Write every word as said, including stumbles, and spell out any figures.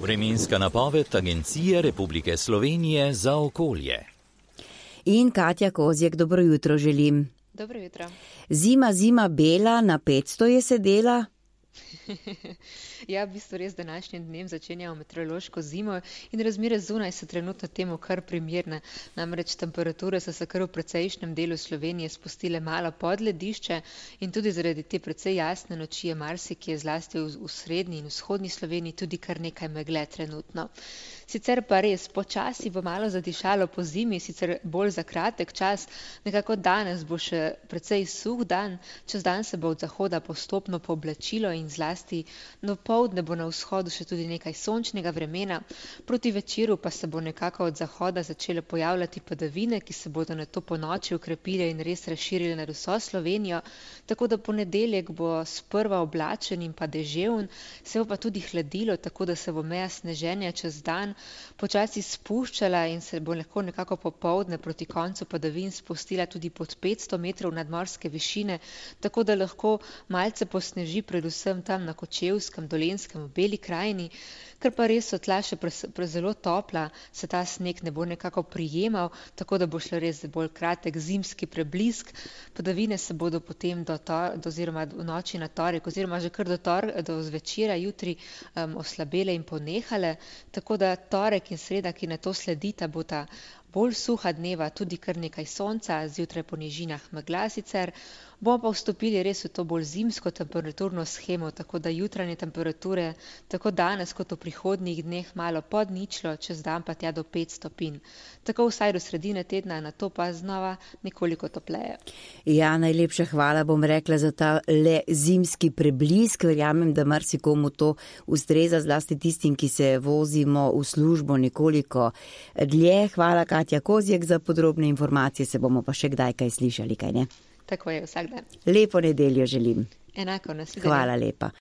Vremenska napoved Agencije Republike Slovenije za okolje. In Katja Kozjek, dobro jutro želim. Dobro jutro. Zima, zima bela, na petsto je sedela. Ja, v bistvu res današnjim dnem začenjamo meteorološko zimo in razmere zunaj so trenutno temu kar primerne. Namreč temperature so se kar v precejšnjem delu Slovenije spustile malo pod ledišče in tudi zaradi te precej jasne noči je marsikje zlasti v, v srednji in vzhodni Sloveniji tudi kar nekaj megle trenutno. Sicer pa res, počasi bo malo zadišalo po zimi, sicer bolj za kratek čas, nekako danes bo še precej suh dan, čez dan se bo od zahoda postopno pooblačilo in zlasti do poldne bo na vzhodu še tudi nekaj sončnega vremena, proti večeru pa se bo nekako od zahoda začele pojavljati padavine, ki se bodo nato ponoči ukrepile in res razširile nad vso Slovenijo, tako da ponedeljek bo sprva oblačen in pa deževn, se bo pa tudi hladilo, tako da se bo meja sneženja čez dan počasi spuščala in se bo lahko nekako popoldne proti koncu padavin spustila tudi pod petsto metrov nadmorske višine, tako da lahko malce posneži predvsem tam na Kočevskem, Dolenjskem, v Beli krajini, ker pa res so tla še pre, pre zelo topla, se ta sneg ne bo nekako prijemal, tako da bo šlo res bolj kratek zimski preblisk. Padavine se bodo potem do, to, do oziroma v noči na torek oziroma že kar do, tor, do zvečera jutri um, oslabele in ponehale, tako da torek in sreda, ki na to sledita, bo ta bolj suha dneva, tudi kar nekaj sonca, zjutraj po nižinah megla sicer. Bomo pa vstopili res v to bolj zimsko temperaturno shemo, tako da jutranje temperature tako danes kot v prihodnjih dneh malo pod ničlo, čez dan pa tja do pet stopinj. Tako vsaj do sredine tedna, na to pa znova nekoliko topleje. Ja, najlepša hvala bom rekla za ta le zimski preblisk. Verjamem, da marsikomu to ustreza, zlasti tistim, ki se vozimo v službo nekoliko dlje. Hvala, Katja Kozjek, za podrobne informacije. Se bomo pa še kdaj kaj slišali, kaj ne? Tako je, vsak dan. Lepo nedeljo želim. Enako, nasvidenje. Hvala lepa.